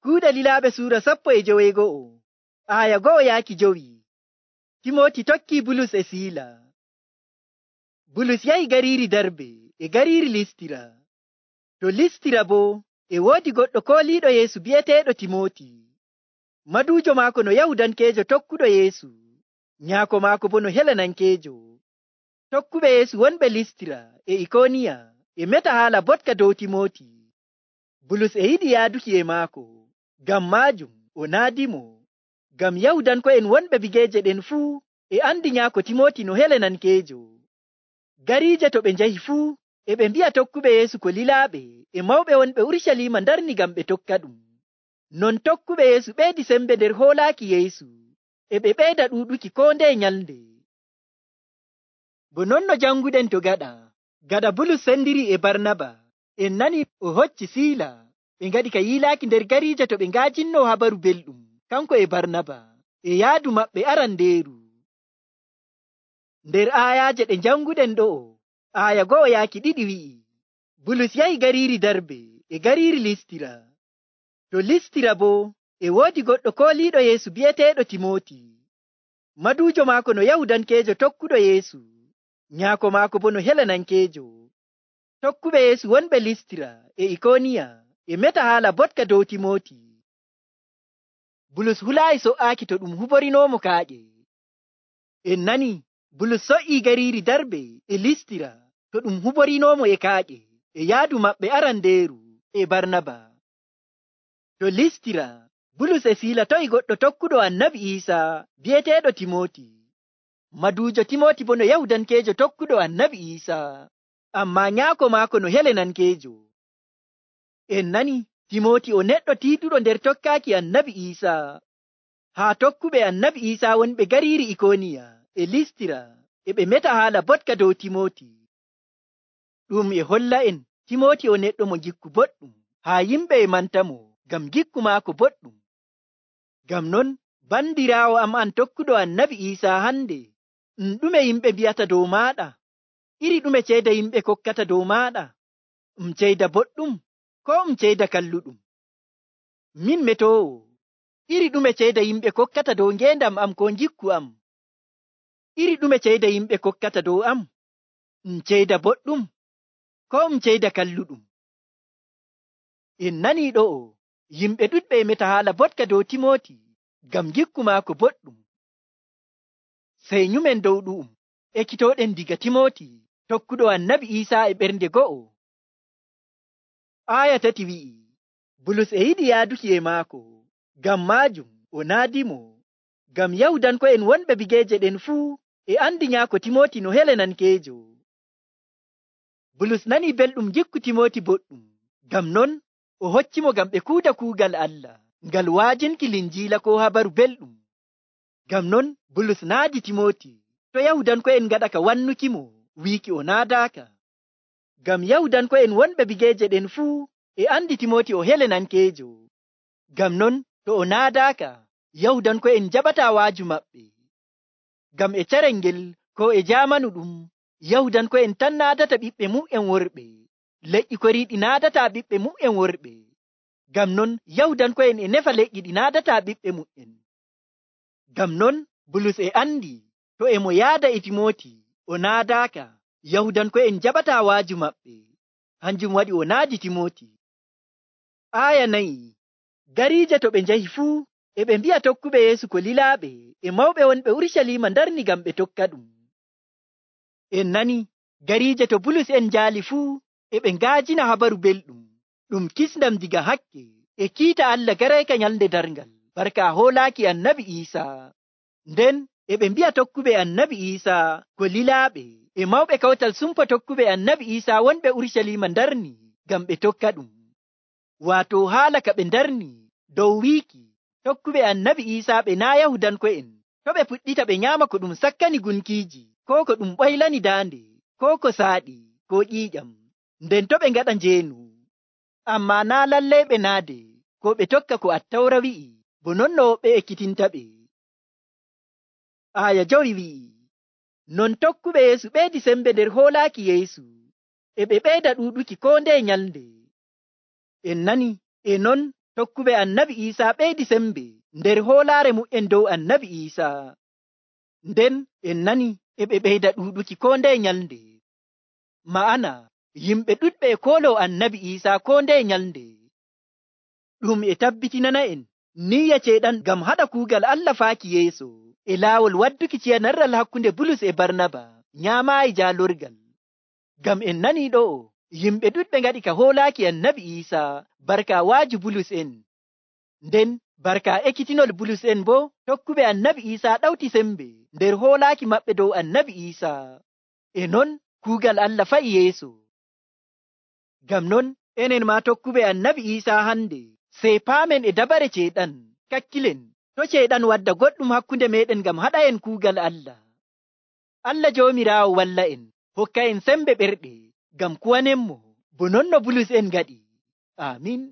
Kuuɗe Lilaaɓe suura 15 aya 1-5. Timoti tokkii Bulus e Siila. Bulus yahi gariiri Darbe e gariiri Listira. To Listira boo e woodi goɗɗo kooliiɗo Yeesu bi'eteeɗo Timoti. Maduujo maako no Yahudankeejo tokkuɗo Yeesu, nyaako maako boo no Helenankeejo. Tokkuɓe Yeesu wonɓe Listira e Ikooniya e meta haala botka dow Timoti. Bulus e yiɗi yaaduki e maako, ngam maajum o naadimo, ngam Yahudanko'en wonɓe bigeeje ɗen fuu e andi nyaako Timoti no Helenankeejo. Gariije to ɓe njahi fuu e ɓe mbi'a tokkuɓe Yeesu ko lilaaɓe e mawɓe wonɓe Urucaliima ndarni ngam ɓe tokka ɗum. Non tokkuɓe Yeesu ɓeydi sembe nder hoolaaki Yeesu, e ɓe ɓeyda ɗuuɗuki koo ndeye nyalnde. Bo non no janguɗen to gaɗa Bulus sendiri e Barnaba, en nani o hocci Siila ɓe ngaɗi ka yiilaaki nder gariije to ɓe ngaajinno habaru belɗum kanko e Barnaba e yaadu maɓɓe arandeeru. Nder aayaaje ɗe janguɗen ɗo'o, aaya 1-2 wi'i, Bulus yahi gariiri Darbe e gariiri Listira. To Listira boo e woodi goɗɗo kooliiɗo Yeesu bi'eteeɗo Timoti. Maduujo maako no Yahudankeejo tokkuɗo Yeesu, nyaako maako boo no Helenankeejo. Tokkuɓe Yeesu wonɓe Listira e Ikooniya e meta haala botka dow Timoti. Bulus hulaayi so''aaki to ɗum huborinoomo kaaƴe. En nani Bulus so''ii gariiri Darbe e Listira to ɗum huborinoomo e kaaƴe e yaadu maɓɓe arandeeru e Barnaba. To Listira, Bulus e Siila to'i goɗɗo tokkuɗo Annabi Iisaa bi'eteeɗo Timoti. Maduujo Timoti boo no Yahudankeejo tokkuɗo Annabi Iisaa, ammaa nyaako maako no Helenankeejo. En nani Timoti o neɗɗo tiiɗuɗo nder tokkaaki Annabi Iisaa. Haa tokkuɓe Annabi Iisaa wonɓe gariiri Ikooniya e Listira e ɓe meta haala botka dow Timoti. Ɗum e holla en Timoti o neɗɗo mo gikku boɗɗum, haa yimɓe e mantamo ngam gikku maako boɗɗum. Ngam non bandiraawo am an tokkuɗo Annabi Iisaa hande, ɗume yimɓe mbi'ata dow maaɗa? Iri ɗume ceeda yimɓe kokkata dow maaɗa? Ceeda boɗɗum koo ceeda kalluɗum? Min metoowo, iri ɗume ceeda yimɓe kokkata dow ngeendam am koo gikku am? Iri ɗume ceeda yimɓe kokkata dow am? Ceeda boɗɗum koo ceeda kalluɗum? En nanii ɗo'o, yimɓe ɗuɗɓe e meta haala botka dow Timoti ngam gikku maako boɗɗum. Sey nyumen dow ɗu'um ekkitooɗen diga Timoti tokkuɗo Annabi Iisaa e ɓernde go'o. Aaya 3 wi'i, Bulus e yiɗi yaaduki e maako, ngam maajum o naadimo, ngam Yahudanko'en wonɓe bigeeje ɗen fuu e andi nyaako Timoti no Helenankeejo. Bulus nanii belɗum gikku Timoti boɗɗum, ngam non o hoccimo ngam ɓe kuuda kuugal Allah, ngal wa'ajinki Linjiila koo habaru belɗum. Ngam non Bulus naadi Timoti to Yahudanko'en ngaɗa ka wannukimo wiiki o naadaaka. Ngam Yahudanko'en wonɓe bigeeje ɗen fuu e andi Timoti o Helenankeejo. Ngam non to o naadaaka, Yahudanko'en jaɓataa waaju maɓɓe. Ngam e carel ngel koo e jaamanu ɗum, Yahudanko'en tan naadata ɓiɓɓe mu'en worɓe, leƴƴi koriiɗi naadataa ɓiɓɓe mu'en worɓe. Ngam non Yahudanko'en e nefa leƴƴi ɗi naadataa ɓiɓɓe mu'en. Ngam non Bulus e andi to e mo yaada e Timoti o naadaaka, Yahudanko'en jaɓataa waaju maɓɓe. Hanjum waɗi o naadi Timoti. Aaya 4, gariije to ɓe njahi fuu e ɓe mbi'a tokkuɓe Yeesu ko lilaaɓe e mawɓe wonɓe Urucaliima ndarni ngam ɓe tokka ɗum. En nani gariije to Bulus en njaali fuu e ɓe ngaajina habaru belɗum, ɗum kisndam diga hakke e kiita Allah garayka nyalnde darngal barka hoolaaki Annabi Iisaa. Nden e ɓe mbi'a tokkuɓe Annabi Iisaa ko lilaaɓe e mawɓe kawtal sumpa tokkuɓe Annabi Iisaa wonɓe Urucaliima ndarni ngam ɓe tokka ɗum. Waato haala ka ɓe ndarni dow wiiki tokkuɓe Annabi Iisaa ɓe naa Yahudanko'en to ɓe puɗɗita ɓe nyaama ko ɗum sakkani gunkiiji, koo ko ɗum ɓoylani daande, koo ko saaɗi, koo ƴiiƴam, nden to ɓe ngaɗa njeenu. Ammaa naa lallay ɓe naade koo ɓe tokka ko Attawra wi'i, bo non no woɓɓe ekkitinta ɓe. Aaya 5 wi'i, non tokkuɓe Yeesu ɓeydi sembe nder hoolaaki Yeesu, e ɓe ɓeyda ɗuuɗuki koo ndeye nyalnde. En nani, e non tokkuɓe annabi Iisaa ɓeydi sembe nder hoolaare mu'en dow annabi Iisaa. Nden en nani e ɓe ɓeyda ɗuuɗuki koo ndeye nyalnde. Ma'ana yimɓe ɗuɗɓe e kooloo annabi Iisaa koo ndeye nyalnde. Ɗum e tabbitinana en niyya ceyɗan ngam haɗa kuugal Allah faaki yeeso e laawol wadduki ciyanarral hakkunde Bulus e Barnaba nyaamaayi jaalorgal. Ngam en nanii ɗo'o yimɓe ɗuɗɓe ngaɗi ka hoolaaki annabi Iisaa barka waaju Bulus en. Nden barka ekkitinol Bulus en boo tokkuɓe annabi Iisaa ɗawti sembe nder hoolaaki maɓɓe dow annabi Iisaa. E non kuugal Allah fa'i yeeso. Ngam non enen maa tokkuɓe annabi Iisaa hande sey paamen e dabare ceyɗan, kakkilen to ceyɗan wadda goɗɗum hakkunde meeɗen ngam haɗa en kuugal Allah. Allah Joomiraawo walla en, hokka en sembe ɓerɗe ngam kuwanenmo bo non no Bulus en ngaɗi. Aamin.